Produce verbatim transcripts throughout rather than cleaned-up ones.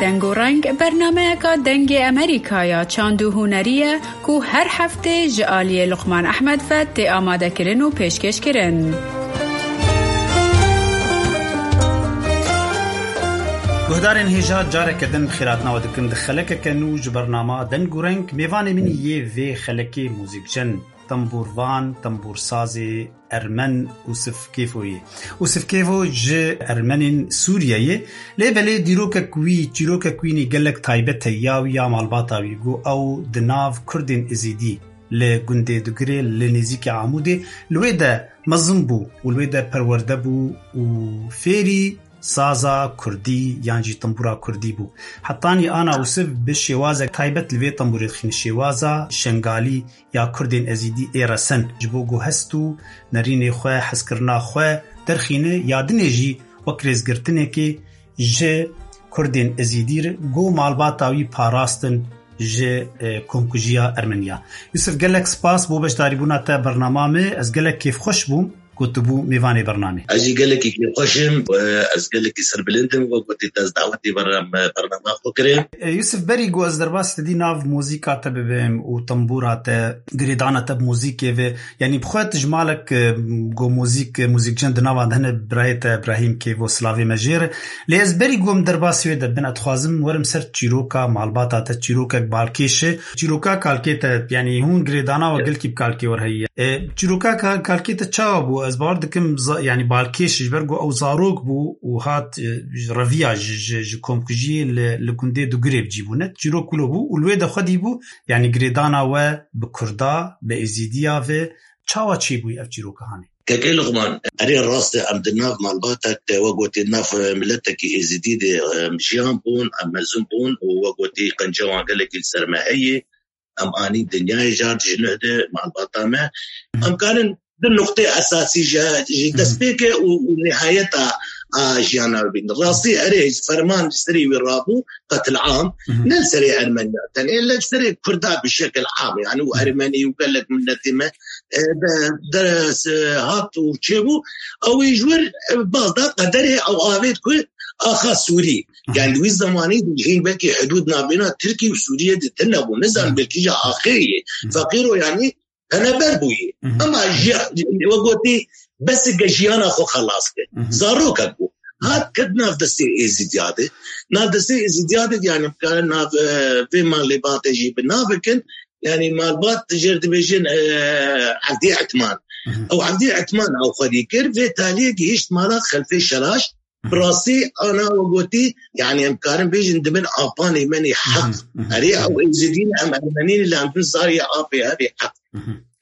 Deng û Reng bernameyeka Dengê Amerîka ya çand û hunerî ye ku her heftê ji aliyê Luqman Ehmed ve tê amadekirin û pêşkêşkirin. Guhdarên hêja, careke din bi xêr hatina we dikim di xelekeke nû ji bernama Deng û Reng. Mêvanê min yê vê xelekê muzîkjen, tembûrvan, tembûrsazê ermen Usif Kêfo ye. Usif Kêfo ji ermenên Sûriyê ye. Lê belê dîrokek wî, çîrokek wî nî gelek taybet e, ya wî ya malbata wî. Got ew di nav Kurdên Êzîdî li gundê Dugirê li nêzîkî Amûdê li wê de mezin bû û li wê de perwerde bû û fêrî saza kurdî yan jî tembûra kurdî bû. Hetanî ana Usif bi şêwazek taybet li vê tembûrê dixîne, şêwaza şengalî ya Kurdên Ezîdî ê resen ji bo ku hest û nerînê xwe, hezkirina xwe derxîne, ya dinê jî wek rêzgirtinekê ji Kurdên Ezîdî re ku malbata wî parastin ji, e, komkujiya Ermeniya. Yusuf, gelek spas bo beşdarîbûna te bernama me. Ez gelek kêfxweş bûm ku tu bû mêvanê bernamê. Ez jî gelekî kêfxweş im. E, ez gelekî serbilind im. Wek gotî, te ez dawetî bernam-, bernama xwe kirê. E, Yusuf, berî ku ez derbasî te dî nav muzîka te bibim û tembûra te, girêdana te bi muzîkê ve, yanî bi xwe tu ji malek, e, ku muzîk, e, muzîkjen di nava de hene, birayê te Ibrahîm Kêvo, silavê me jê re. Lê ez berî ku em derbasî wê de bin, ez dixwazim werim ser çîroka malbata te, çîrokek balkêş e. Çîroka kalkê te, yanî hûn girêdana we gelkî bi kalkê we re heye. E, çîroka ka-, kalkê te çawa bû? Ez bawer dikim za-, yanî balkêş ji ber ku ew zarok bû û hat, e, ji reviya ji, ji, ji komkujiyê li, li gundê Dugirê bi cî bû. Ne çîrok wilo bû û li wê de xwedî bû, yanî girêdana we bi Kurda, bi Êzîdiya ve çawa çêbûyî ev çîroka hanê? Kekê Luqman, erê rast e, em di nav malbatek de, we gotî, nav, e, miletekî Êzîdî de, e, em jiyan bûn, em mezin bûn û we gotî, qenca wan gelekî li ser me heye. Em anî dinyayê car ji nuh de malbata me. Em karin du nuqtê esasî ji, ji destpêkê û, û nihayeta a jiyana wî bînin. Rastî erê, ferman ji serê wî rabû, qetil am, ne li serê Ermeniya tenê, lê li serê Kurda bi şekil am, yani û Ermenî û gelek miletê me, e, de, de, e, hat û çêbû, ew ê ji wir, e, baz da qederê ew avêt ku axa Sûrî. Yani wî zemanî hîn belkî hidûd navbêna Tirkî û Sûriyê de tune bû. Nizan belkî ji axê yê. Feqîro yani peneber bûyî. Ama ji, we gotî, bes ke jiyana xwe xelas kir. Zarokek bû. Hat ket nav destê Êzîdiya de. Nav destê Êzîdiya de, yani, bikare nav, e, vê malê bate jî bi nav bikin. Yani, malbat jêr dibêjin, e, Evdî Etman. Ew Evdî Etman ew xwedî kir. Vê taliyê gihişt mala Xelfê Şeraş. Bi rastî, ana we gotî, yani, em karin bêjin, di bin apanê me nê heq. Erê, ew Êzidî ne, em Ermenî ne, lê em bin zarê apê hevê heq.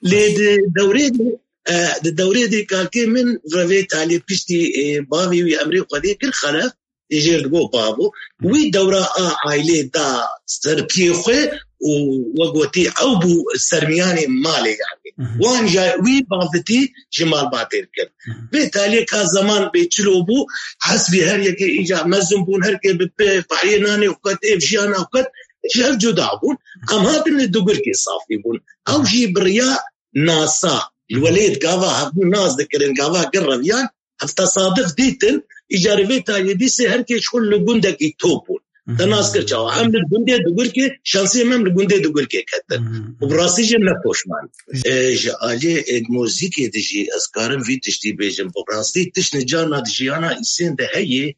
Lê di dewrê de, e, di dewrê de kalkê min revê talê piştî, e, bavê wî emrê Xwedê kir, Xelef, ê jêr digo bavo. Wî dewra a ailê da ser piyê xwe û we gotî ew bû sermiyanê malê yani. Wan ja wî bavitî ji malbatê dikir. Vê taliyê ka zeman bê çilo bû, hesbî her yekê îca mezin bûn, her kê bi pê pahiyê nanê xwe ket, êv jiyana xwe ket, ji hev cuda bûn. Em hatin li Dugirkê safî bûn. Ew jî bi riya nasa, li welêt gava hevdû nas dikirin, gava gir reviyan, ev tesadif dîtin, îcarê vê taliyê dîsê her kê ji xwe li gundekî top bûn. Te nas kir çawa? Em li gundê Dugirkê, şansê me em li gundê Dugirkê ketin. Û bi rastî jî me poşman. E, ji aliyê, e, muzîkê de jî ez karim vî tiştî bêjim. Bi rastî tişt nicana di jiyana îsên de heye,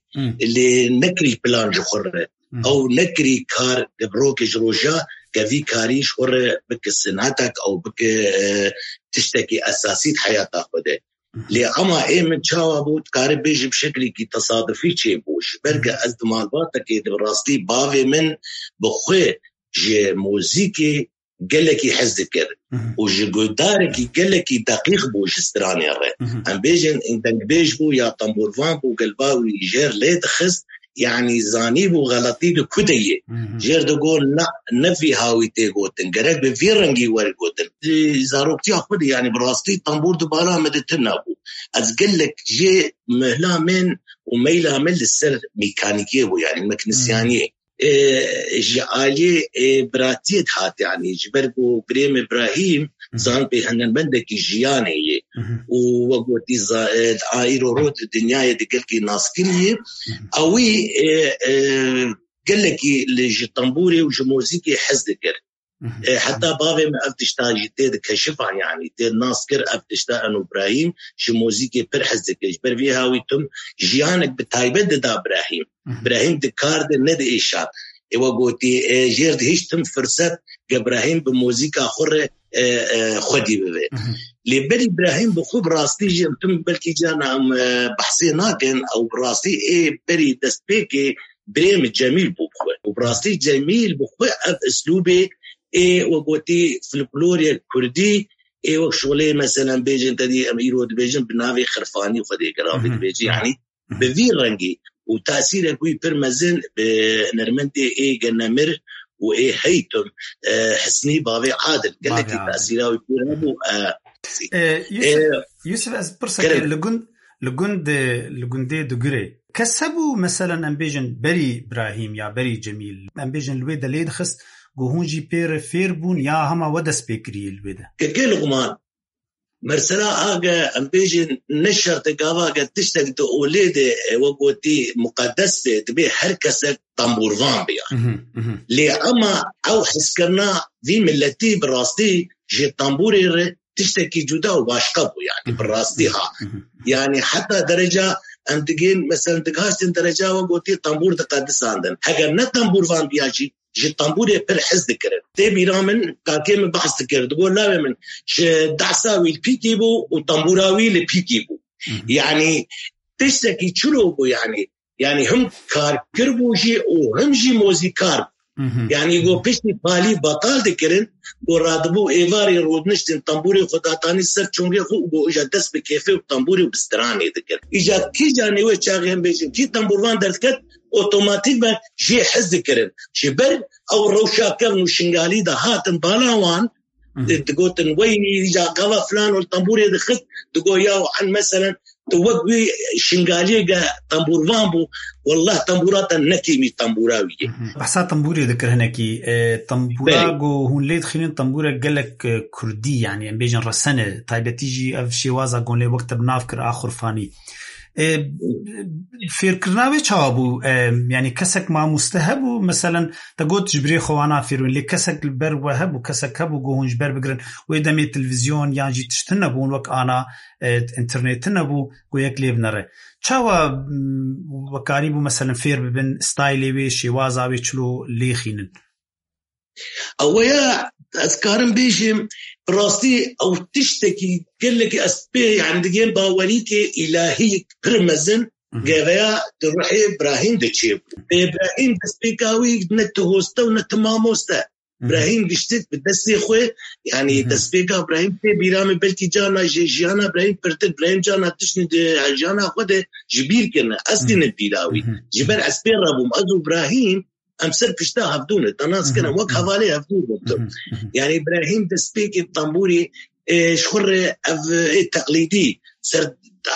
lê nekirî plan ji xwe re. Ew nekirî kar, ke bi rokê ji roja, ke vî karî ji xwe re bike sinetek, ew bike, e, tiştekî esasî di heyata xwe de. Lê ema ê min çawa bû, dikare bêjim şekilekî tesadufî çêbû. Ji ber ke ez di malbatekê de bi rastî bavê min bi xwe ji muzîkê gelekî hez dikir û ji guhdarekî gelekî deqîq bû ji stranê re. Em bêjin, dengbêj bû ya tembûrvan bû, gelba wî jêr lê dixist, yanî zanîbû xeletî di ku de ye. Jêr digot, na, ne vî hawî tê gotin, gerek bi vî rengî were gotin. Di zaroktiya xwe de, yanî bi rastî tembûr di bala me de tune bû. Ez gelek jê mehla min û meyla min li ser mîkanîkê bû, yanî meknisyaniyê. E, ji aliyê, e, biratiyê dihat, yanî ji ber ku birê min Îbrahîm zan pê hunermendekî jiyanê ye û we gotî za-, e, a îro ro di dinyayê de gelkî naskirî ye. Ewî, e, e, gelekî li, ji tembûrê û ji muzîkê hez dikir. E, heta bavê min ev tişta jî tê dikeşifan, yanî tê nas kir, ev tişta eno Brahîm ji muzîkê pir hez dikir. Ji ber vê hawî tim jiyanek bi taybet dida Brahîm. Brahîm di kar de ne di êşa. Ê we gotî, e, jêr dihişt tim firset ge Brahîm bi muzîka xwe re, e, e, xwedî bibe. Lê berî Brahîm bi xwe bi rastî jî em tim belkî carna em, e, behsê nakin, ew bi rastî ê berî destpêkê birê min Cemîl bû bi xwe. Û bi rastî Cemîl bi xwe ev islûbê ê we gotî folklorê kurdî ê wek şolê meselen bêjin te dî em îro dibêjin bi navê xirfanî xwedê gelav dibêjin. Yanî bi vî rengî û tesîrek wî pir mezin bi nermendê ê genemir û ê heytum, e, Hisnî bavê Adil. Gelekî tesîra wî pir hebû, e, E, Yusuf, e, Yusuf, ez pirsekê li gund, li gund, li gundê Digirê. Kes hebû, meselen, em bêjin berî Brahîm ya berî Cemîl, em bêjin li wê de lê dixist, ku hûn jî pê re fêr bûn ya hema we dest pê kirî li wê de? Kekê Luqman, mesela age em bêjin ne şert e gava ge tiştek di olê de, e, we gotî muqedes e, dibê her kesek tembûrvan biya. Lê ema ew hizkirina vî miletî bi rastî ji tembûrê re tiştekî cuda û başqa bû, yanî bi rastî ha. Yanî heta dereca em digên, meselen, digaştin dereca we gotî tembûr diqedisandin. Heger ne tembûrvan biya jî, ji tembûrê pir hez dikirin. Tê bîra min, kakê min behs dikir, digot, lawê min, ji dehsa wî li pîkî bû û tembûra wî li pîkî bû. Yanî tiştekî çilo bû, yanî, yanî him karkir bû jî û him jî mozîkar bû. Yanî go piştî palî betal dikirin, go radibû êvarê rûdiniştin tembûrê xwe datanî ser çongê xwe û go îja dest bi kêfê û tembûrê û bi stranê dikir. Îja kî canê wê çaxê em bêjin, kî tembûrvan derdiket, otomatîk be jê hez dikirin. Ji ber ew rewşa kevn û Şingalî de hatin bala wan, di-, digotin, "Wey, îca gava filan ol tembûrê dixist", digo, "Ya, en meselen, tu wek wî Şingaliyê ge tembûrvan bû, wallah tembûra te ne kêmî tembûra wî ye." Behsa tembûrê dikir hinekî. E, tembûra ku hûn lê dixînin, tembûrek gelek, e, kurdî, yanî em bêjin resen e, taybetî jî ev şêwaza gon lê wek te bi nav kir a xurfanî. E, fêrkirina wê çawa bû? E, yanî kesek mamoste hebû, meselen, te got ji birê xwe wana fêr bûn, lê kesek li ber we hebû, kesek hebû ku hûn ji ber bigirin. Wê demê televîzyon yan jî tiştin nebûn, wek ana, e, înternetin nebû, ku yek lê binere. Çawa, m, we karîbû, meselen, fêr bibin, staylê wê, şêwaza wê çilo lê xînin? Ew ya ez karim bêjim, bi rastî ew tiştekî gelekî ez pê, yani digên bawerîkê îlahî pir mezin, geveya di ruhê Brahîm de çêbû. Brahîm destpêka wî ne tu hoste û ne tu mamoste. Brahîm giştik bi destê xwe, yani destpêka Brahîm tê bîra min, belkî carna ji jiyana Brahîm pirtir, Brahîm carna tiştî di jiyana xwe de ji bîr kirine. Ez tînim bîra wî. Ji ber ez pê re bûm. Ez û Brahîm em ser pişta hevdû ne, te nas kirin, wek hevalê hevdû bûn tu. Yani Îbrahîm destpêkê tembûrê, e, ji xwe re ev, e, teqlîdî ser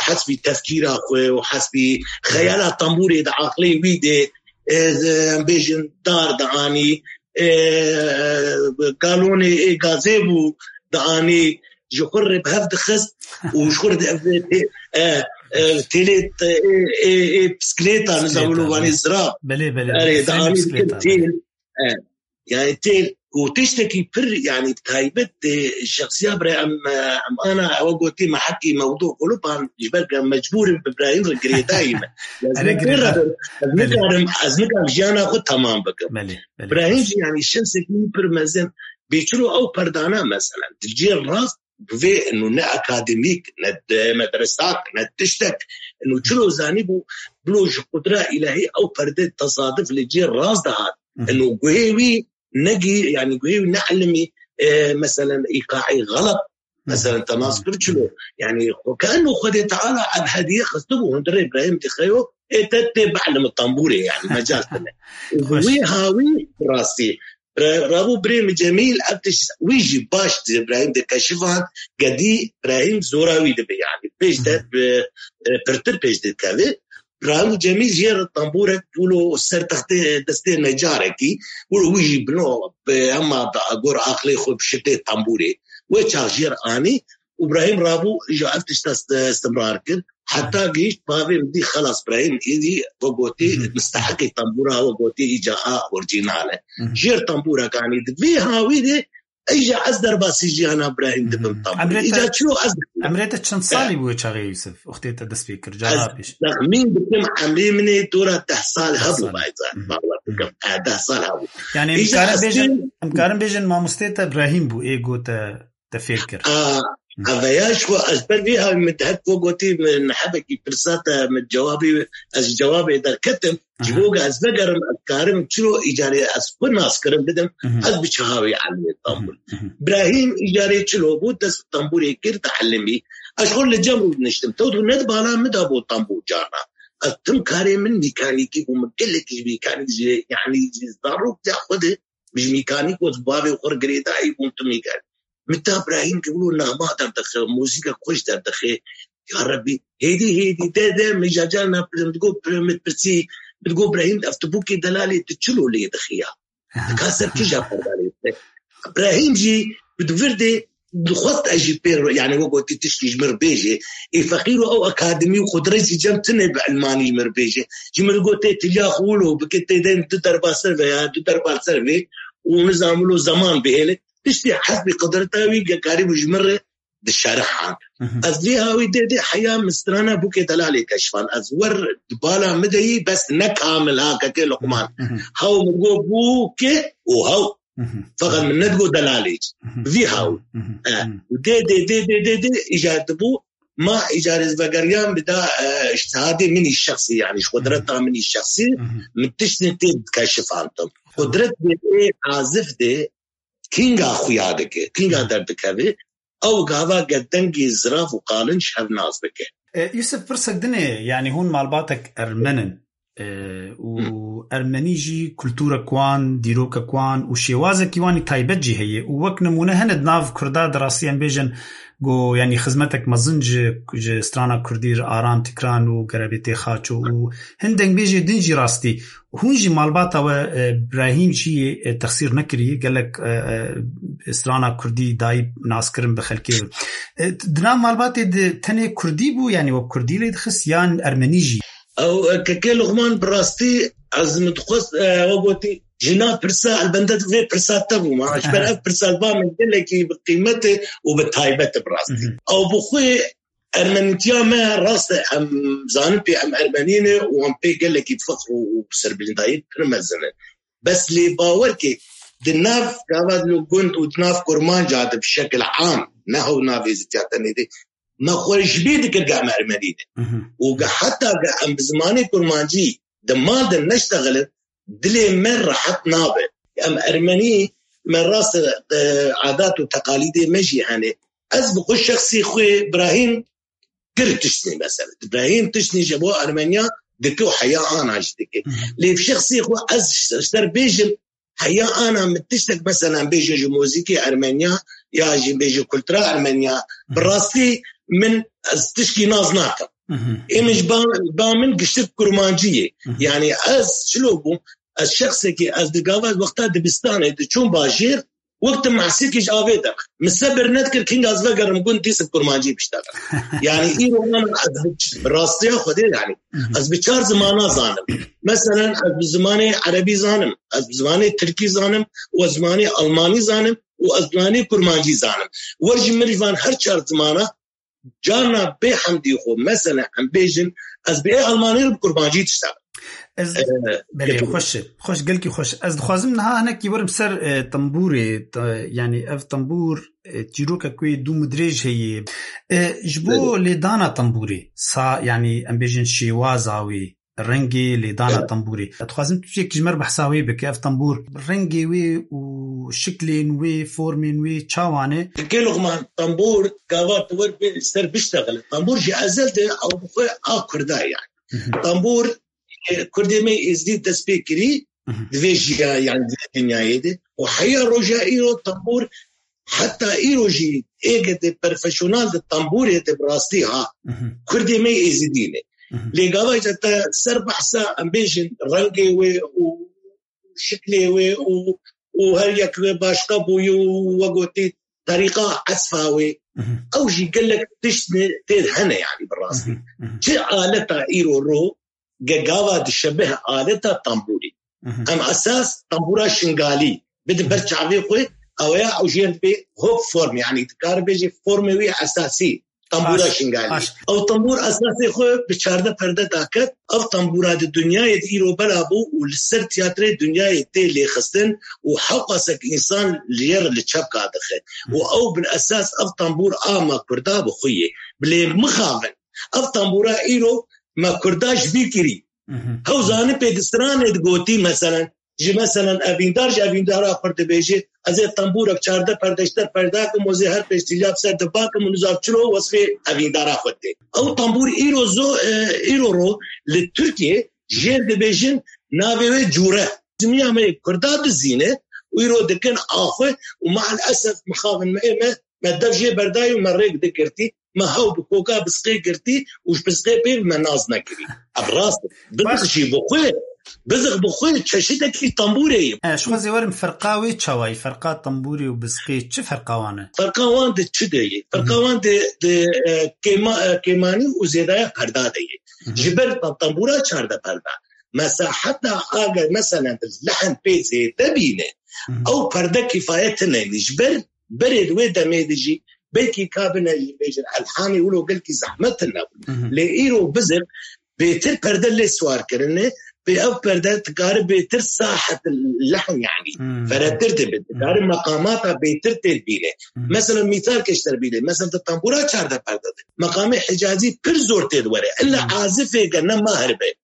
hesbî tefkîra xwe û hesbî xeyala tembûrê di aqlê wî de, e, em bêjin dar dianî, e, galonê, e, gazê bû dianî, ji xwe re bi hev dixist û ji xwe re ev, e, e, e, têlê, e, e, e, bisiklêta, nizam, wilo vanê zira. Belê, belê, belê. Erê, dianî têl. E, yani têl ku tiştekî pir, yani taybet, e, şexsiya bira em, e, em ana ew gotî me hekî mewdu kulupan, ji ber ku em mecbûr in bi Îbrahîm re girêdayî me. Ez nikarim, ez nikarim jiyana xwe temam bikim. Belê, belê. Îbrahîm jî yani şexsekî pir mezin, bêçiro ew perdana mesela, di cê rast, bi vê û ne akademîk, ne de-, medresak, ne tiştek, û çilo zanîbû, bilo ji qudra îlahî ew perde tesaduf li cê rast dihat. Û guhê wî ne gî, yani guhê wî ne ilimî, e, meselen îqaî xelet, meselen te nas kir çilo. Yani xwe, ke eno Xwedê Teala ev hediye xistibû hundirê Îbrahîm dixeyo, ê te tê bielimi tembûrê, yani mecal tine. Û bi wî hawî rastî. Re-, rabû birê min Cemîl, ev tişt wî jî baş di Îbrahîm de keşifan, gedî Îbrahîm zora wî dibe, yani pêş de bi, e, pirtir pêş dikeve. Rabû Cemîl jê re tembûrek wilo ser textê destê necarekî, wilo wî jî bino, bi hema bi gor aqlê xwe bi şitê tembûrê. Wê çax jê re anî, û Brahîm rabû, îja ev tişta st-, istimrar kir. Heta gihîşt bavê min dî, xelas, Brahîm êdî, we gotî, Hı hı. misteheqî tembûra, we gotî, îca a orîjînal e. Hı hı. Jêr tembûra kanî di vê hawî de, îja ez derbasî jiyana Brahîm dibim Hı hı. tembûr. Emrê te, Îca çilo ez emrê te çend salî bû çaxê Yusuf? Wextê te dest pê kir, cara pêş. Texmîn dikim, emrê min ê dora deh sal Deh hebû, sal. Bayza. Hı hı. Bawer Hı hı. dikim. E, deh sal hebû. Yani, Îja em karin ez bêjin, pê em karin bêjin, mamostê te Brahîm bû, ê got te te fêr kir. A, Hı. Eveya ji xwe ez ber vê hawî min dihet ku gotî min hebekî pirsa te min cewabî, ez ji cewabê derketim. Ji Aha. bo ku ez vegerim, ez karim çiro îcarê ez xwe nas kirim bidim, Hı hı. ez bi çi hawî elimê Hı hı. tembûr. Hı hı. Brahîm îcarê çilo bû, dest tembûrê kir, te elimî. Ez xwe li cem rû diniştim. Tew tu ne di bala min de bû tembûr carna. Ez tim karê min mîkanîkî bû, min gelekî ji mîkanîk jî, yanî ji zarok ya xwe de, ji mîkanîk û bavê xwe girêdayî bûn tu mîkanîk. Min ta Brahîm ki wilo nexma derdixe, muzîka xweş derdixe. Ya Rebî, hêdî, hêdî, de, de, min ja carna pirim, digo, min pirsî, min digo, Brahîm, ev tu bûkê delalê tu çilo lê dixiya? Dika ser kîja perdanê te? Brahîm jî bi vir de dixwest ez jî pê re, yani, we gotî tiştî ji mir bêjê. Ê feqîr û ew akademî û qudret jî cem tune bi ilmanî ji mir bêjê. Ji mir gotê tiliya xwe wilo bike, tê de du derba ser ve ya, du derba ser vê û nizam wilo zeman bihêle. Tiştî hesbî qudreta wî ge karîbû ji mir re dişerihan. Hı hı. Ez vê hawî dê dê heya min strana bûkê delalê keşfan. Ez wer di bala min de yî, bes ne kamil ha, kekê Luqman. Hı hı. Hew min got bûke û hew. Hı hı. Feqet min ne digot delalê. Hı hı. Vî hew. Hı hı. E, Hı hı. dê dê dê dê dê dê îcar dibû. Ma îcarê ez vegeriyan bi da, e, îctihadê min î şexsî, yani ji qudreta Hı hı. min î şexsî, Hı hı. min tiştên tê dikeşifandim. Tamam. Qudret dê ê azif dê kînga xuya dike, kînga Hı hı. derdikeve. Ew gava ge dengê zirav û qalin ji hev nas bike. E, Yusuf, pirsek din e, yani hûn malbatek ermen in, e, û Hı. ermenî jî kulturek wan, dîrokek wan û şêwazekî wan î taybet jî heye. Û wek nimûne hene di nav Kurda de rastî em bêjin, go, yani xizmetek mezin ji, ji strana Kurdî re Aram Tikran û Gerebêtê Xaço û hin dengbêjê din jî rastî. Hûn jî malbata we, e, Brahîm jî, e, texsîr nekirî, gelek, e, e, strana Kurdî dayî naskirin bi xelkê. E, di nav malbatê de tenê Kurdî bû, yani wek Kurdî lê dixist yan Ermenî jî? Ew, e, kekê Luqman, bi rastî ez min dixwest, e, we gotî, ji nav pirsa elbende vê pirsa te bû ma. Ji ber Aha. ev pirsa ba min gelekî bi qîmet e û bi taybet e bi rastî. Mhm. Ew bi xwe Ermenîtiya me rast e, em zanin pê em Ermenî ne û em pê gelekî fexr û, û serbilindayî pir mezin e. Bes lê bawer ke di nav gava di gund û di nav Kurmanca de bi şekil am, ne hew nav êzîtiya tenê de, me xwe ji bîr dikir ke em Ermenî ne. Mhm. Û ge heta ge em bi zimanê Kurmancî di mal de neştexilin, dilê me rehet nabe. Em Ermenî, me rast e, e, adat û teqalîdê me jî hene. Ez bi xwe şexsî xwe Brahîm kir tiştî mesela. Brahîm tiştî ji bo Ermeniya dike û heya ana jî dike. Hı hı. Lê bi şexsî xwe ez ser bêjim, heya ana min tiştek mesela bêjin ji muzîkê Ermeniya ya jî bêjin kultura Ermeniya, Hı hı. bi rastî min ez tişkî nas nakim. Hı hı. Ê min ji ba, ba min giştik kurmancî ye. Hı hı. Yani ez çilo bûm, ez şexsekî, ez di gava wexta dibistanê diçûm bajêr, wek tu mahsîkî ji avê de. Min sebir nedikir, kînga ez vegerim gund dîs bi kurmancî biştexim. Yani îro ana ez bi ç-, rastiya Xwedê yani. Hı hı. Ez bi çar zimana zanim. Meselen ez bi zimanê erebî zanim, ez bi zimanê tirkî zanim, û ez zimanê almanî zanim, û ez zimanê kurmancî zanim. Wer ji min ji van her çar zimana Carna bê hemdî xwe, mesele em bêjin, ez bi ê Almanî re bi kurmancî diştexim. Ez, Ee, belê, xweş e. Xweş, gelkî xweş. Ez dixwazim niha hinekî werim ser, e, tembûrê, te-, yani ev tembûr, e, çîrokek wê dûm û dirêj heye. E, ji bo Belê. lêdana tembûrê, sa, yani em bêjin şêwaza wê, rengê lêdana Evet. tembûrê. Ez dixwazim tu yek ji me re behsa wê bike. Ev tembûr rengê wê û şiklên wê, formên wê çawa ne? Kekê Luqman, tembûr gava tu wer bi ser biştexile. Tembûr ji ezel de ew bi xwe a Kurda ye yani. Hı hı. Tembûr, e, Kurdê me Êzidî dest pê kirî, Hı hı. di vê jiya, yani di vê dinyayê de. Û heya roja îro tembûr heta îro jî êgedê profesyonel di tembûrê de bi rastî ha. Mhm. Kurdê me Êzidî ne. Mhm. Lê gava îca te ser behsa em bêjin rengê wê û şiklê wê û, û her yek wê başka bûyî û we gotî terîqa esfa wê. Ew jî gelek tişt ne tê hene, yanî bi rastî. Çi aleta îro ro ge gava dişebih aleta tembûrî. Em esas tembûra şingalî bidin ber çavê xwe, ew ya ew jê re dibê hop form, yanî dikare bêjê formê wî esasî tembûra şingalî. Ew tembûr esasê xwe bi çardeh perde daket. Ev tembûra di dinyayê de îro bela bû û li ser tiyatrê dinyayê tê lêxistin û hewqasek însan li yê re li çepka dixe. Û ew bin esas ev tembûr a me Kurda bi xwe ye. Bilê mixabin. Ev tembûra îro me Kurda ji bîr kirî. Hew zanî pê di stranê digotî, meselen, ji, meselen, evîndar ji evîndara xwe dibêje, ez ê tembûrek çardeh perde ji te peyda kim û ez ê her pêş tîliya bi ser diba kim û nizav çilo wesfê evîndara xwe dê. Ew tembûr îro zo, e, îro ro li Tirkiye jêr dibêjin navê wê cûre. Zimiya me yê Kurda dizîne û îro dikin axwe û maalesef mixabin me ê me Me dev jê berdayî û me rêk digirtî, me hew bi koka bisqê girtî û ji bisqê pê me nas nekirî. Ev rast e. Bizix jî bi xwe, bizix bi xwe çeşidekî tembûrê ye. E, ji xwe zê werim ferqa wê çawa ye? Ferqa tembûrê û bisqê çi ferqa wan e? Ferqa wan di çi de ye? Ferqa wan di, di, e, kêma-, e, kêmanî û zêdaya perda de ye. Ji ber tembûra çardeh perda. Mesela heta aga, mesela, lehn pê zêde bîne, ew perde kifayet tine. Ji ber berê di wê demê de jî belkî kabine jî bêjin elhanê wilo gelkî zehmet tine bû. Lê îro bizir bêtir perde lê siwar kirine, pê ev perde dikare bêtir sahet lehn, yanî feretir dibe, dikare meqamata bêtir tê dibîne. Mesela mîsalkê ji te bîne, mesela di tembûra çardeh perde de meqamê Hicazî pir zor tê di were. Illa azifê gene mahir be.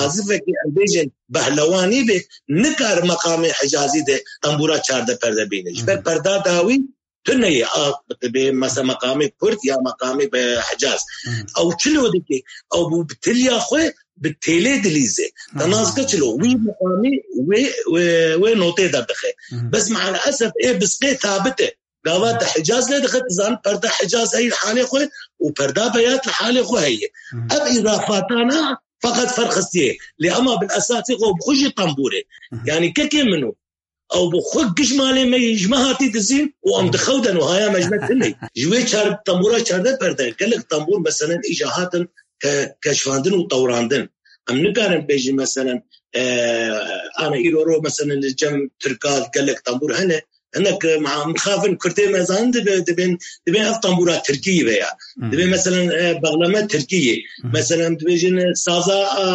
Azifekî em bêjin behlewanî be, nikare meqamê Hicazî de tembûra çardeh perde bîne. Ji ber perda dawî tune ye, a, dibe mesela meqamê Kurd ya meqamê be Hicaz. Ew çilo dike, ew bû bi tiliya xwe bi têlê dilîze. Te nas ke çilo, wî meqamî wê, wê, wê notê derdixe. Bes maalesef ê bisqê sabit e. Gava te Hicaz lê dixe, tu zanî perda Hicaz heyî li halê xwe û perda Beyat li halê xwe heye. Ev îzafatana feqet ferq xistiye. Lê ema bil esasê xwe bi xwe jî tembûr e. Yanî kekê min o. Ew bi xwe giş malê me yî ji me hatî dizîn û em dixewden û haya me ji me tune. Ji wê çar-, tembûra çardeh perde gelek tembûr meselen îca hatin ke-, keşfandin û tewrandin. Em nikarin bêjin meselen, e, ana îro ro meselen li cem Tirka gelek tembûr hene. Hinek, e, ma-, mixabin Kurdê me zanin dibe, dibên, dibên ev tembûra Tirkî be ya. Dibê meselen, e, bexleme Tirkî ye. Meselen dibêjin, e, saza, e,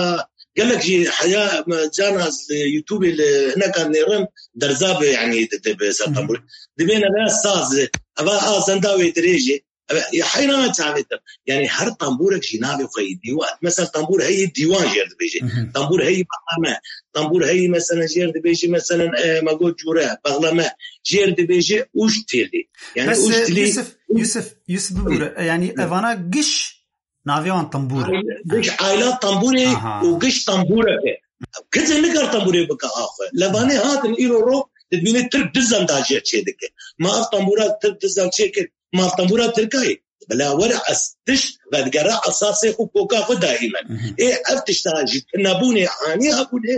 gelek jî heya, e, cana, e, YouTubeê li hineka nêrin derza be, yanî di, dibe ser tembûr. Dibên eve saz, eva a zenda wê dirêj e. Ev, ya heyran çavê te. Yanî her tembûrek jî navê xwe yî dîwan. Mesela tembûr heyî dîwan jêr dibêje. Tembûr heyî maqame. Tembûr heyî mesela jêr dibêje mesela, e, me got cûre, bexleme. Jêr dibêje ûş têlî. Yanî Bes, ûş e, tilî. Yusuf, Yusuf, Yusuf bibûre. E, yanî evana giş navê wan tembûr e. Giş ayla tembûrê û giş tembûrek e. Kesê nikar tembûrê bike axwe. Levanê hatin îro ro dibîne Tirk dizan da jêr çê dike. Ma ev tembûra Tirk dizan çê kir. Ma tembûra Tirkayê bila were ez tişt vedigere esasê xwe koka xwe daîmen. Ê ev tişta ji tunebûnê anî hebûnê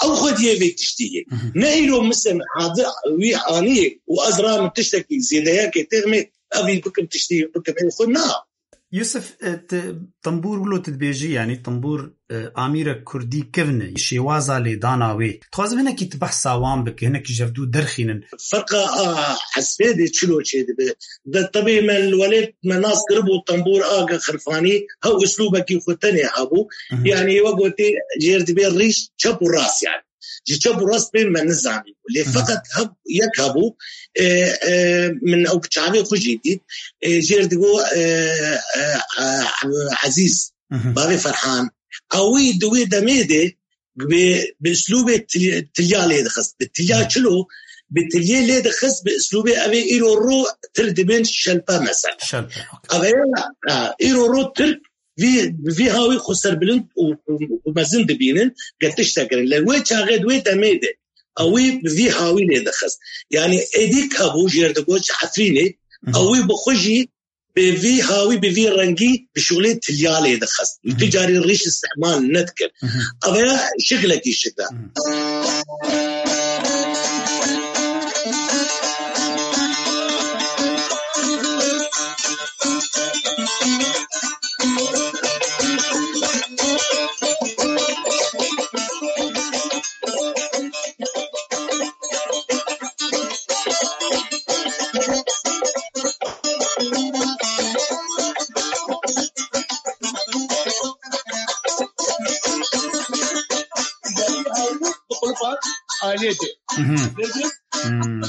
ew xwediyê vê tiştî yê. Ne îro misin hadir wî aniyê û ez ramin tiştekî zêdeyekê têxmê evî bikim tiştî bikim ê xwe na. Yusuf, e, ti, tembûr wilo tu dibêjî, yanî tembûr, e, amîrek kurdî kevn e, şêwaza lêdana wê. Dixwazim hinekî tu behsa wan bike, hinekî ji hevdû derxînin. Ferqa a hesbê de çilo çê dibe. De tebê me li welêt me nas kiribû tembûr a ge xirfanî, hew uslûbekî xwe tenê hebû. Yanî we gotê jêr dibê rîş çep û rast yanî. Ji çep û rast bên me nizanî. Lê feqet hev yek hebû, e, e, min ew bi çavê xwe jî dît. E, jêr digo, e, e, e, Ezîz, bavê Ferhan. Ewî di wê demê de bi, bi uslûbê til-, tilya lê dixist. Bi tilya çilo, bi tilyê lê dixist, bi uslûbê evê îro ro tir dibên şelpe mesela. Şelpe, okey. Ev ya, ha, îro ro Tirk vî, vî hawî xwe serbilind û, û, û mezin dibînin, ge tiştek kirin. Lê wê çaxê di wê demê de, ewî bi vî hawî lê dixist. Yanî êdî hebû jêr digot ji Efrînê, ewî bi xwe jî bi vî hawî, bi vî rengî bi şûlê tilya lê dixist. Wî tu carî rîş îstîmal nedikir. Ev ya şiklekî şikla. Aliyê te. Mhm. Hmm.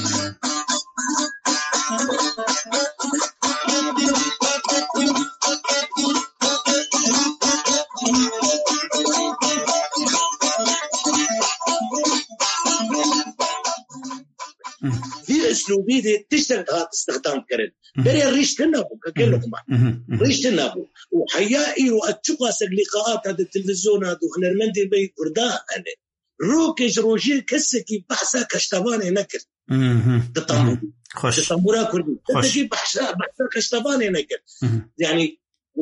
Vî uslûbî de tiştek dihat îstixdam kirin. Mhm. Berê rîş tune bû, kekê Mhm. Luqman. Mhm. Mhm. Rîş tune bû. Û heya îro ez çiqasek lîqaata di televîzyona di hunermendên me yê Kurda hene. Rokê ji rojê kesekî behsa keştevanê nekir. Mhm. Di tembûrê. Xweş. Di tembûra kurdî. Xweş. Kesekî behsa, behsa keştevanê nekir. Mhm. Yanî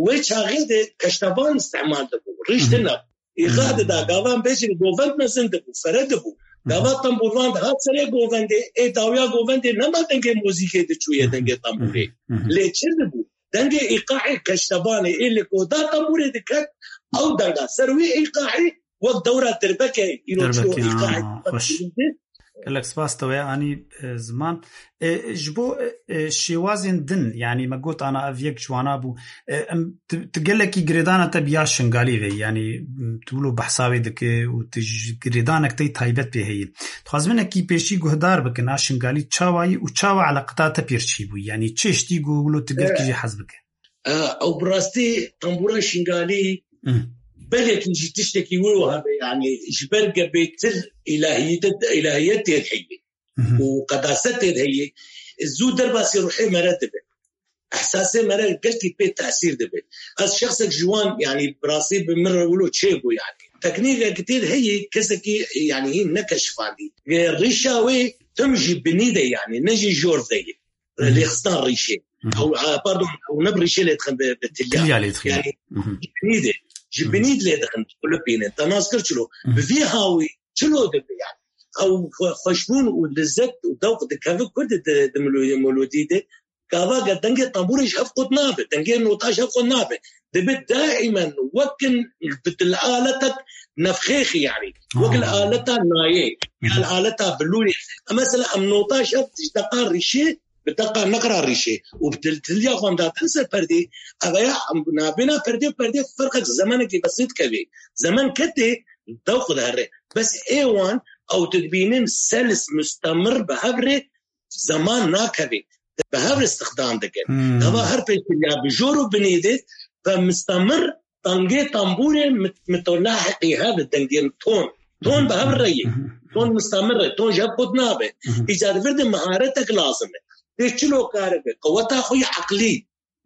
wê çaxê de keştevan îstimal dibû. Rîş Mhm. tune bû. Îxa Mhm. dida, gavan bêjin govend mezin dibû, fere dibû. Mhm. Gava tembûrvan dihat serê govendê, ê dawiya govendê nema dengê muzîkê diçûye Mhm. dengê tembûrê. Mhm. Mhm. Lê çi dibû? Dengê îqaê keştevanê ê li koda tembûrê diket, ew denga ser wî îqaê wek dewra dirbekê îro çiro Dirbekê, îqaê ha, xweş. Gelek spas te wê anî, e, ziman. E, ji bo, e, e, şêwazên din, yanî me got ana ev yek ji wana bû. E, em, tu, tu gelekî girêdana te bi ya Şingalî ve, yanî, m, tu wilo behsa wê dike û tu ji girêdanek te yî taybet pê heye. Dixwazim hinekî pêşî guhdar bikin, a Şingalî çawa yî û çawa eleqeta te pêr çî bû? Yanî çi tiştî ku wilo tu gelkî E, jê hez bike? E, ew bi rastî tembûra Şingalî Hı. belekî jî tiştekî wê wiha be, yanî ji ber ge bêtir îlahiyet, îlahiyet têr heye Hı hı. û qedaset têr heye, zû derbasî ruhê me re dibe. Ehsasê me re gelkî pê tesîr dibe. Ez şexsek ji wan, yanî bi rastî bi min re wilo çêbû, yanî. Teknîkek têr heye, kesekî, yanî hîn nekeşifandî. Rîşa wê tim jî binî de, yanî ne jî jor de ye. Hı hı. Lêxistan rîşê. Hı hı. Ew, e, pardon, ew ne bi rîşê lê dixin, bi, bi tilya. Tilya lê dixin. Yanî Hı hı. ji binî de. Ji Hı hı. binî de lê dixin, kulipînin. Te nas kir çilo. Hı hı. Bi vî hawî çilo dibe yanî. Ew xwe-, xweşbûn û lezet û dewq dikeve kurdî di, di melo-, melodî de. Gava ge dengê tembûrê ji hev qut nabe, dengê nota ji hev qut nabe. Dibe daîmen wekin bi til aletek nefxêxî yanî. Wek li Ha. aleta nayê, ya li Ha. aleta bilûrê. Mesela em nota ji hev ji deqa rîşê, bi deqa neqra rîşê û bi til-, tilya xwe em datin ser perdê, ev ya em nabêna perdê û perdê ferqek zemenekî besît kevê. Zemen ketê, dewq dihere. Bes ê wan ew tu dibînin selis mustemir bi hev rê zeman nakevê. Bi hev re îstixdam dikin. Hmm. Gava her pêştiriya bi jor û binî de ve mistemir dengê tembûrê mit-, mitolahiqî hev dengên ton. Ton bi hev re ye. Mhm. Ton mistemir e. Ton ji hev qut nabe. Mhm. Îca di vir de miharetek lazim e. Tê çilo kare be. Qeweta xwe yê eqlî.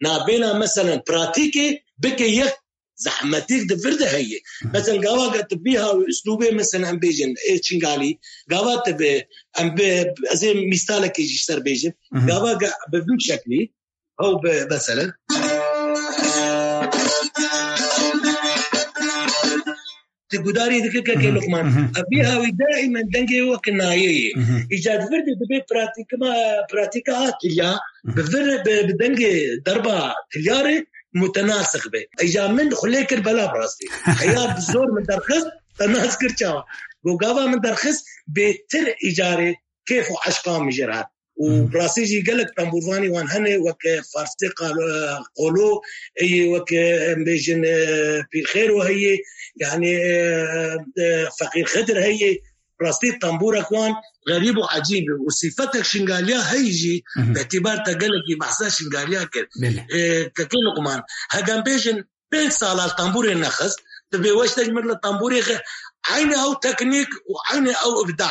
Nabêna meselen pratîkê bike yek zehmetîk di vir de heye. Hı. Mesela gava ke tu bîha wî uslûbê mesela em bêjin ê Çingalî, gava tu bi, em bi, ez ê mîstalekê jî ser bêjim. Hı hı. Gava ke bi vî şeklî, ew bi mesela. Tu gudarî dikir kekê Hı hı. Luqman. Hı hı. Ev bîha wî daîmen dengê wek nayê ye. Hı hı. Îca di vir de dibe pratîkima, pratîka a tilya, Hı hı. bi vir, bi, bi dengê derba tilya re mutenasix be. Îca min xulê kir bela bi rastî. Heya bi zor min derxist, te nas kir çawa. Go gava min derxist, bêtir îcarê kêf û eşqa min jê re hat. Û Hmm. bi rastî jî gelek tembûrvanî wan hene, weke Farsê Qal-, Qolo, ê weke em bêjin, e, Pîrxêro heye, yanî, e, e, Feqîr Xidir heye. Rastî tembûrek wan xerîb û ecîb e û sîfetek Şingaliya heyî jî Hı hı. bi îtîbar te gelekî behsa Şingaliya kir. Belê. E, Kekê Luqman, hegem bêjin pênc sala li tembûrê nexist, dibê weştek mir li tembûrê xe-, eynî ew teknîk û eynî ew îbda.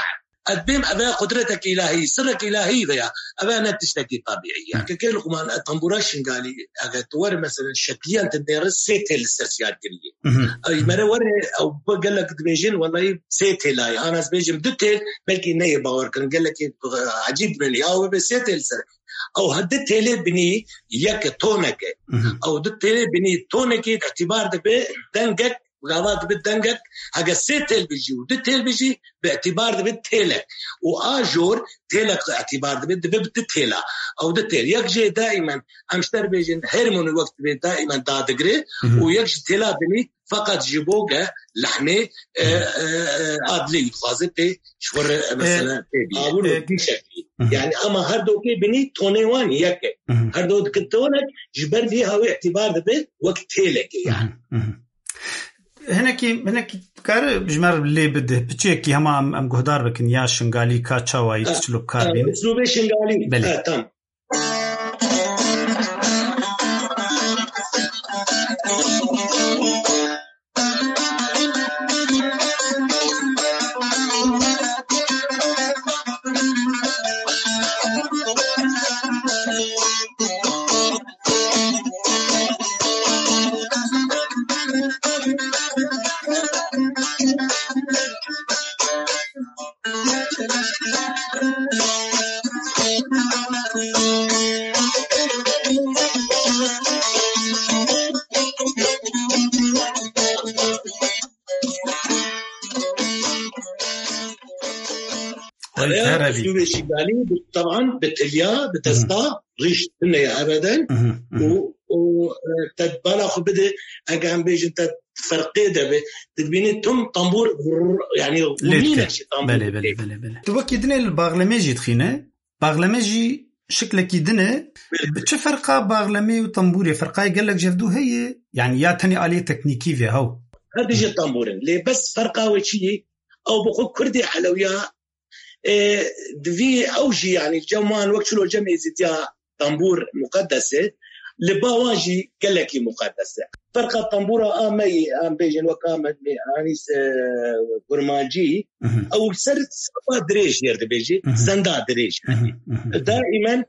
Ez bêm eve qudretek îlahî, sirrek îlahî veya eve ne tiştekî tabîî ye. Hı. Kekê Luqman, e, tembûra Şingalî, eger tu were, meselen, şekliyan tu nêre sê tê li ser siyar kiriye. Hı hı. Ey, mere were, ew bi gelek dibêjin, wellahî sê têla ye. An ez bêjim du têl, belkî neyê bawer kirin. Gelekî, e, ecîb bin ya, ew be sê têl ser. Ew he du têlê binî yek e, tonek e. Hı hı. Ew du têlê binî tonekê îtîbar dibe dengek, gava dibe dengek, hege sê têl bijî û du têl bijî, bi îtîbar dibe têlek. Û a jor têlek îtîbar dibe, dibe bi du têla. Ew du têl. Yek jê daîmen, em ji te re bêjin, hermoni wek dibe daîmen dadigire Hı hı. û yek ji têla binî feqet ji bo ge lehnê, e, Hı hı. e, e, adlê dixwaze pê ji xwe re, e, mesela, pê bîne. Awil û e, bî şeklî. Hı hı. Yani ama her dokê binî tonê wan yek e. Hı hı. Her do dike tonek ji ber vî hawê îtîbar dibe wek têlekê yani. Hı hı. Hı hı. Hinekî, hinekî dikare ji me lê bide, piçekî hema em, em guhdar bikin ya Şingalî ka çawa yî, tu çilo bi kar bîne. Uslûbê Şingalî. Belê. Ha, tam. Ev ya Erebî. Uslûbê Şingalî bi, teban bi tilya, bi desta, rîş tune ye ebeden. Û, û, e, te bala xwe bide, ege em bêjin te ferqê de be, dibînî tim tambûr, yani, Lê gumîne dike. Jî tambûr Belê, belê, dike. Belê, belê. Tu wekî dinê li baxlemê jî dixîne. Baxleme jî şiklekî din e. Bi çi ferqa baxlemê û tembûrê? Ferqayê gelek ji hevdû heye? Yani ya tenê aliyê teknîkî vê hew? Her du jî tembûr in. Lê bes ferqa wê çi ye? Ew bi xwe Kurdê Elewiya, e, divî ew jî, yani cem wan wek çilo cem Êzîdiya tembûr muqedes e, li ba wan jî gelekî muqedes e. Ferqa tembûra a me yê, em bêjin wek a me, me, anî, e, kurmancî, Mhm. ew ser sefa dirêj jêr dibêjî, Mhm. zenda dirêj. Mhm, mhm, mhm. Daimen,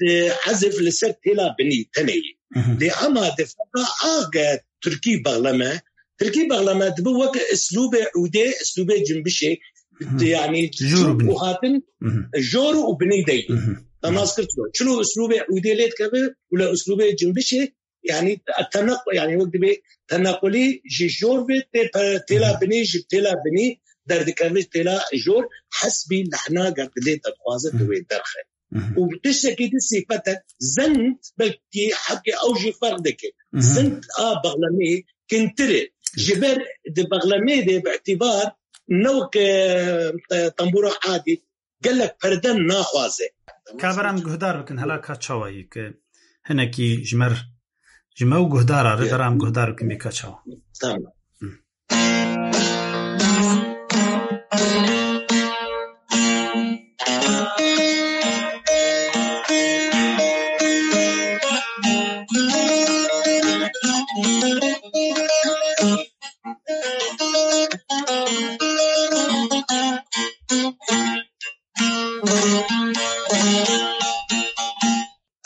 e, ezif li ser têla binî tenê yî. Mhm. Lê ema di ferqa a ge tirkî baxleme, tirkî baxleme dibe wek uslûbê ûdê, uslûbê cimbişê, Mhm. yani Jor û çûk binî. û hatin Mhm. jor û binî de yî. Mhm. Te nas kir çilo. Çilo uslûbê ûdê lê dikeve û le uslûbê cimbişê, yani teneq-, yani wek dibê tenequlî ji jor ve tê pe-, têla Mhm. binî, ji têla binî derdikeve têla jor, hesbî lehna ge dilê te dixwaze tu Mhm. wê derxe. Mhm. Û tiştekî di sîfet e, zend belkî hebkê ew jî ferq dike. Mhm. Zend a baxlemê kintir e. Ji ber di baxlemê de bi îtîbar ne wek, e, tembûra adî gelek perde naxwaze. Ka beram guhdar bikin hela ka çawa yî ki hinekî ji me r-, ji me û guhdara re Ya. beram guhdar bikin bê ka çawa. Tamam. Hı.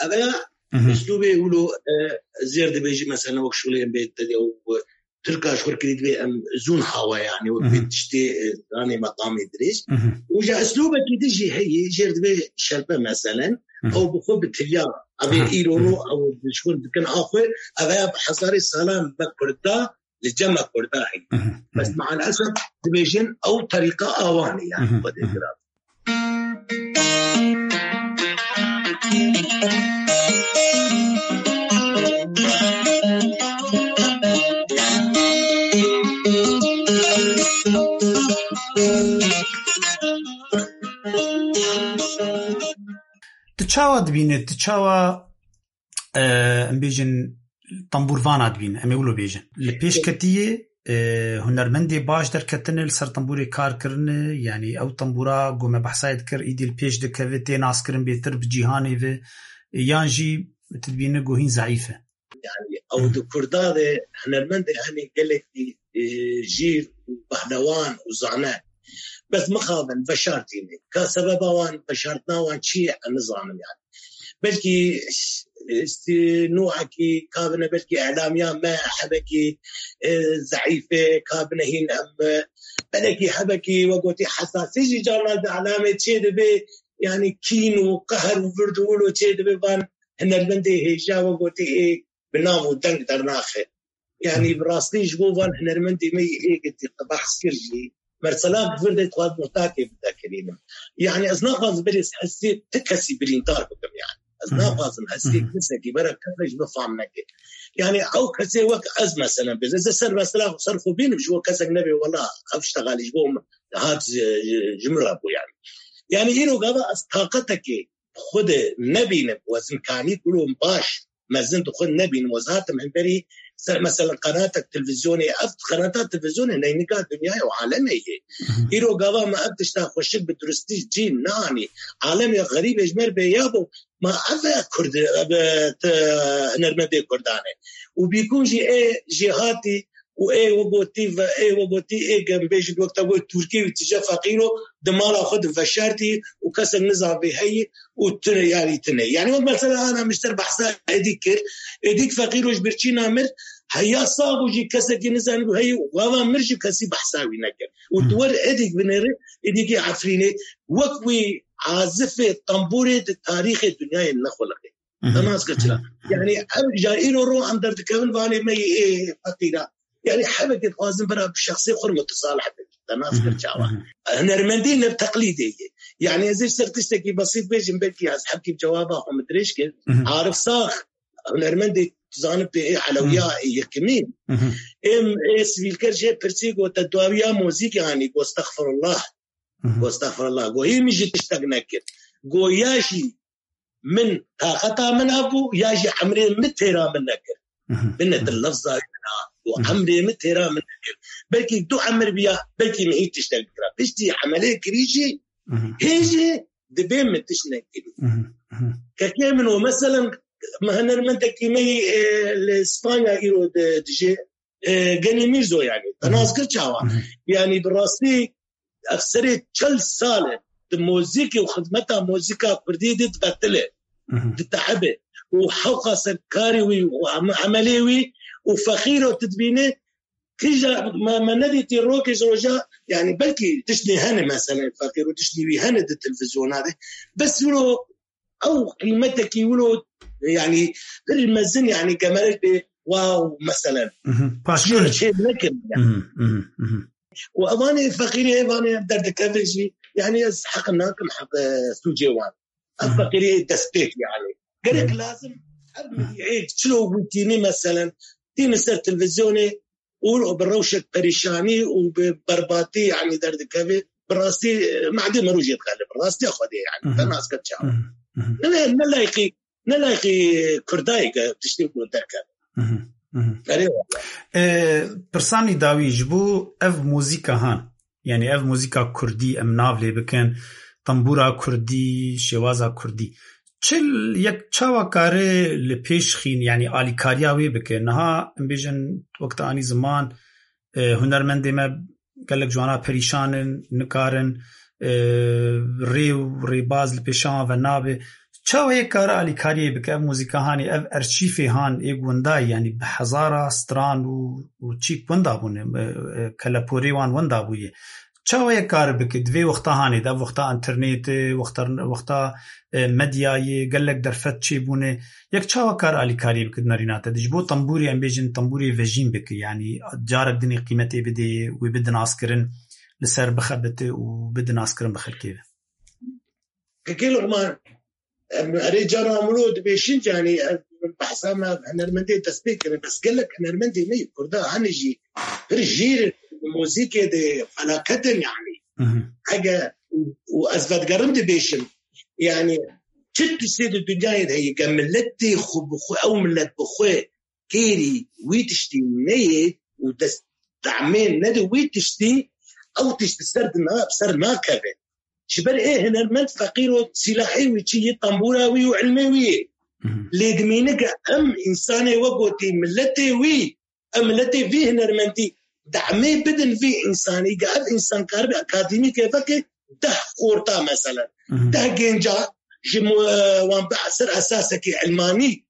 Ev ya Mhm. uslûbê wilo, e, zêr dibêjî, mesela wek şûlê em bê te de û Tirka ji xwe kirî dibê em zûn hawa, yani wek vê Mhm. tiştê, e, danê meqamê dirêj. Mhm. Û ji uslûbekî din jî heyî, jêr dibê şelpe meselen, Mhm. ew bi xwe bi tilya, ev ê Aha. îro ro Mhm. ew ji xwe dikin a xwe, ev ya bi hezarê salan me Kurda, li cem me Kurda heyî. Mhm. Bes Mhm. maalesef dibêjin ew terîqa awan e, yani Mhm. xwe dê Mhm. giran. Tu çawa dibîne, tu çawa, e, em bêjin, tembûrvana dibîne, em ê wilo bêjin. Li pêşketiyê, e, hunermendê baş derketine, li ser tembûrê kar kirine, yanî ew tembûra ku me behsayê dikir, îdî li pêş dikeve, tê naskirin bêtir bi cîhanê ve, e, yan jî tu dibîne ku hîn zeîf e? Yani ew di Kurda de hunermendê hene gelekî, e, jîr û pehlewan û zane. Bes mixabin veşartîne. Ka sebeba wan, veşartina wan çi ye, em nizanim yani. Belkî, e, stî-, nûhekî kabine, belkî îlamiya me hebekî, e, zeîf e, kabine hîn em, e, belekî hebekî we gotî hesasî jî carna di îlamê çê dibe, yani kîn û qehr û vird û wilo çê dibe van hunermendê hêja we gotî ê bi nav û deng dernaxe. Yanî bi rastî ji bo van hunermendê me yê êgitî te behs kir jî, mesela bi vir de dixwaz muhtakê bide kirînim. Yanî ez naxwazim berê hestê ti kesî birîndar bikim yani. Ez Hı hı. naxwazim hestê Hı hı. kesekî were kesek ji min fam neke. Yani ew kesê wek ez mesela bêjim. Ez ê ser mesela ser xwe bînim ji bo kesek nebê wela ev ştegalî ji bo min hat ji, ji, ji min re bû yani. Yani îro gava ez taqetekê xwe de nebînim û ez imkanî kulom baş mezin di xwe nebînim. Ez hatim hemberî ser, mesela, qenatek televîzyonê, ev qenata televîzyonê neynika dinyayê û alemê ye. Îro gava me ev tişta xweşik bi duristî cî nanî. Alemê xerîbê ji mer bêya bû. Ma ev e Kurd, ev e te hunermendê Kurdan e. Û bîkûn jî ê jêhatî û ê we gotî ve, ê we gotî, ê gem bêjin wek te got Tirkî û tije feqîro di mala xwe di veşartî û kesek nizan vê heyî û tune yarî tune. Yani wek mesela ana mişter behsa Êdîk kir. Êdîk feqîro ji birçîna mir heya sax û jî kesekî nizanî bû heyî û gava mir jî kesî behsa wî nekir. Û tu wer Êdîk binêri, Êdîkê Efrînê wek wî azifê tembûrê di tarîxê dinyayê nexuliqê. Te nas kir çira? Yani ev ja îro ro em derdikevin vanê me yê ê feqîra. Yani hevekê dixwazin bira bi şexsê xwe re mutesalih bin. Te nas kir çawa? Hunermendî ne teqlîdê ye. Yani ez ê ser tiştekî besît bêjim, belkî ez hevkî cewaba xwe min dirêj kir. Arif Sax, hunermendê tu zanî pê ê Elewiya ê yekimîn. Êm ê sivîlker jê pirsî got, te dawiya mozîkê anî? Got, estexfirullah. Got, estexfirullah. Got, hî min jî tiştek nekir. Got, ya jî min taqeta min hebû, ya jî emrê min têra min nekir. Binetin lefza wina û emrê min têra min nekir. Belkî du emir biya, belkî min hîç tiştek bikira. Piştî emelê kirî jî, hê jî dibê min tişt nekirî. Kekê min o, meselen, me hunermendekî me yî, e, li Spanya îro di-, dijê, e, Genî Mîrzo, yani. Te nas kir çawa? Yani bi rastî ev serê çel sal e di mozîkê û xidmeta mozîka kurdî de diqetile, ditehibe. Û hewqa ser karê wî û em-, emelê wî û feqîro tu dibîne, kîja me, me nedîtî rokê ji roja, yani belkî tiştê hene, mesela feqîro tiştê wî hene di televîzyona de. Bes wilo ew qîmetekî wilo, yani pir mezin, yani gemerek bê, wow, meselen. Paşkir. Çê, çê nekin yani. Û evanê feqîrê, evanê derdikeve jî, yani ez heq nakim heq, e, sûcê wan. Ev feqîrê destpêk yani. Gerek lazim ev milî ê çilo wî tînî, meselen, tîni ser televîzyonê û bi rewşek perîşanî û bi berbatî, yani derdikeve. Bi rastî, e, madê me rojê dixele, bi rastiya Xwedê, yani. Te nas kir çawa? Ne, ne layqî, ne layqî Kurdayê ke tiştê ku derkeve. Erê wala. E, pirsanî dawî ji bo ev muzîka han, yani ev muzîka kurdî em nav lê bikin, tembûra kurdî, şêwaza kurdî. Çi l-, yek çawa kare li pêş xîn, yani alîkariya wê bike? Niha em bêjin wek te anî ziman, e, hunermendê me gelek ciwana perîşan in, nikarin, e, rê û rêbaz li pêşa wan ve nabe. Çawa yek kare alîkariyê bike? Ev muzîka hanê, ev erçîfê han ê gundayî, yani bi hezara stran û, û çîk winda bûne, e, e, keleporê wan winda bûye. Çawa yek kar bike? Di vê wexta hanê de, ev wexta internetê, wexta, wexta, e, medyayê, gelek derfet çêbûne. Yek çawa kar alîkariyê bike di nerîna te de? Ji bo tembûrê, em bêjin tembûrê vejîn bike, yanî carek dinê qîmetê bidê, wê bide naskirin, li ser bixebite û bide naskirin bi xelkê ve. Kekê Luqman, em erê cara wilo dibêjin, yanî, em behsa me hunermendê destpêk kirin. Bes gelek hunermendê me yê Kurda hene jî pir jêr in, muzîkê de felaket in, yanî. Ege û, û ez vedigerim dibêjim, yanî çi tiştê di dinyayê de heye, ge miletê xwe bi xwe, ew milet bi xwe kêrî wî tiştî neyê û dest demê nede wî tiştî, ew tişt li ser dina, bi ser nakeve. Ji ber ê hunermend feqîr û sîlahê wî çi yê, tembûra wî û ilmê wî yê. Lê dimîne ke em însanê we gotî, miletê wî, em miletê vî hunermendî demê bidin vî însanî, ke ev însan karibe akademîkê veke deh xorta, meselen. Deh gênca ji mu-, e, wan bi ser esasekî ilmanî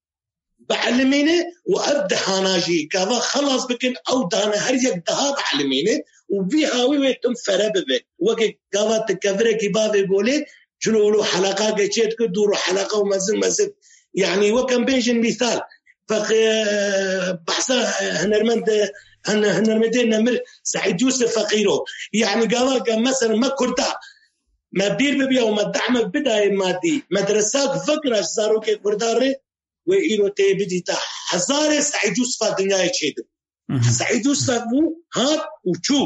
biilimîne û ev dehana jî gava xelas bikin, ew dane her yek deha biilimîne û vî hawî wê tim fere bibe. Weke gava tu kevirekî bavê golê, çilo wilo helaqake çê dike, dû ro helaqa û mezin mezin. Yanî wek em bêjin mîsal, feq-, e, behsa, e, hunermend, e, hun-, hunermendê nemir Seîd Yûsif Feqîro. Yanî gava ke mesela me Kurda, me bîr bibiya û me dehmek bidayê madî, medresak vekira ji zarokê Kurda re, wê îro tê bidîta hezarê Seîd Yûsifa dinyayê çêdibû. Seîd Yûsif bû, hat û çû.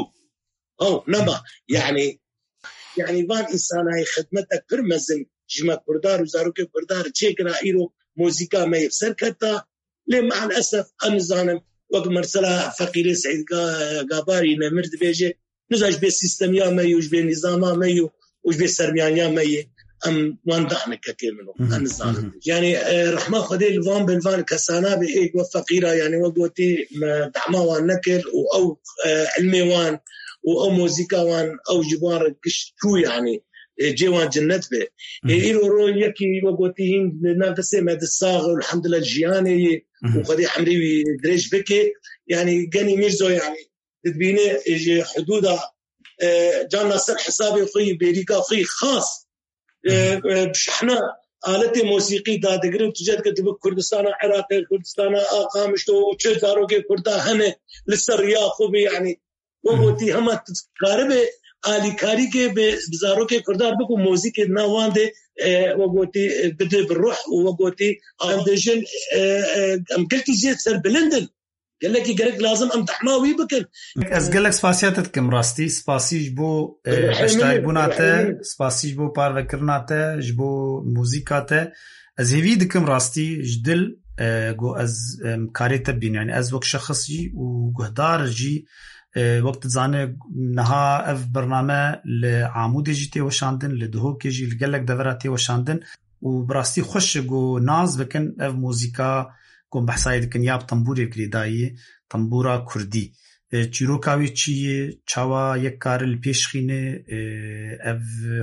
Ew nema. Yanî, yanî van însanayê xidmetek pir mezin ji me Kurdar û zarokê Kurdar çêkira, îro muzîka me yê bi ser keta. Lê me'al esef, em nizanin, Wek mesela Feqîrê Seîd Ga-, Gabarî Nemir dibêje, nizam ji bê sîstemiya me yû, ji bê nîzama me yû û ji bê sermiyaniya me yê, em wan daxnike kê min o. Mhm, Em nizanin. mhm. Yani, e, rehma Xwedê li van bin van kesana be ê we feqîra, yani we gotî me dehma wan nekir û ew, e, ilmê wan û ew muzîka wan, ew ji wan re giş çû yani, e, cê wan cennet be. Ê Mhm. îro ro yekî we gotî hîn li nav destê me di sax û elhamdulillah jiyanê yê û Mhm. Xwedê emrê wî dirêj bike. Yani genî Mîrzo yani dibîne ji hudûda, e, can na ser hesabê xwe yî bêrîka xwe yî xas, e, Mhm. e, bi şehna aletê mosîqî dadigire û tu cih dike tu bi Kurdistana Iraqê, Kurdistana Qamişlo û çi zarokê Kurda hene li ser riya xwe bî, yani we Mhm. gotî hema tu karibe alîkarîkê bi, bi zarokê Kurda bik û mozîkê di nav wan de, e, we gotî, e, bide bi ruh û we gotî em dibêjin, e, e, em gelkî jê serbilind in. Gelekî gerek lazim em dehma wî bikin. Ez gelek spasiya te dikim rastî. Spasî ji bo, e, Rehîmî, beşdarbûna te, rehîmî. Spasî ji bo parvekirina te, ji bo muzîka te. Ez hêvî dikim rastî ji dil, e, ku ez, em, karê te bînim. Yani ez wek şexs jî û guhdar jî, e, wek tu dizane niha ev bername li Amûdê jî tê weşandin, li Duhokê jî, li gelek devera tê weşandin. Û bi rastî xweş e ku nas bikin ev muzîka ku em behsayê dikin ya bi tembûrê girêdayî, tembûra kurdî. E, çîroka wê çi ye, çawa yek kare li pêş xîne, e, ev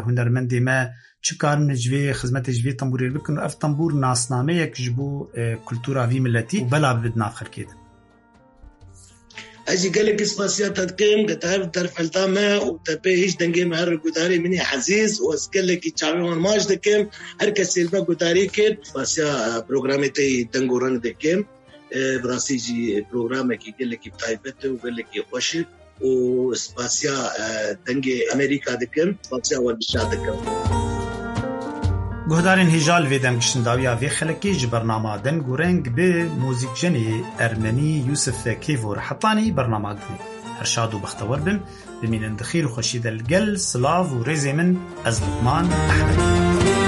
hunermendê me çi karin ji vê xizmetê ji vê tembûrê bikin û ev tembûr nasnameyek ji bo, e, kultura vî miletî û bela bibe di nav xelkê de. Ez jî gelekî spasiya te dikim, ke te hev derfeta me û te pê hîç dengê me her gudarê min ê ezîz û ez gelekî çavê wan maç dikim. Her kesê li me gudarî kir. Spasiya, e, programê te yî Deng û Reng dikim. E, bi rastî jî programekî gelekî taybet e û gelekî xweş e. û spasiya, e, Dengê Amerîka dikim, spasiya werbişa dikim. Guhdarên hêja li vê dem giştin dawiya vê xelekê ji bernama Deng û Reng bi muzîkjenê ermenî Yusuf Kêvo re hetanî bernama dinê. Her şad û bextewar bin, bimînin di xêr û xweşî de li gel silav û rêzê min ez Luqman Ehmed.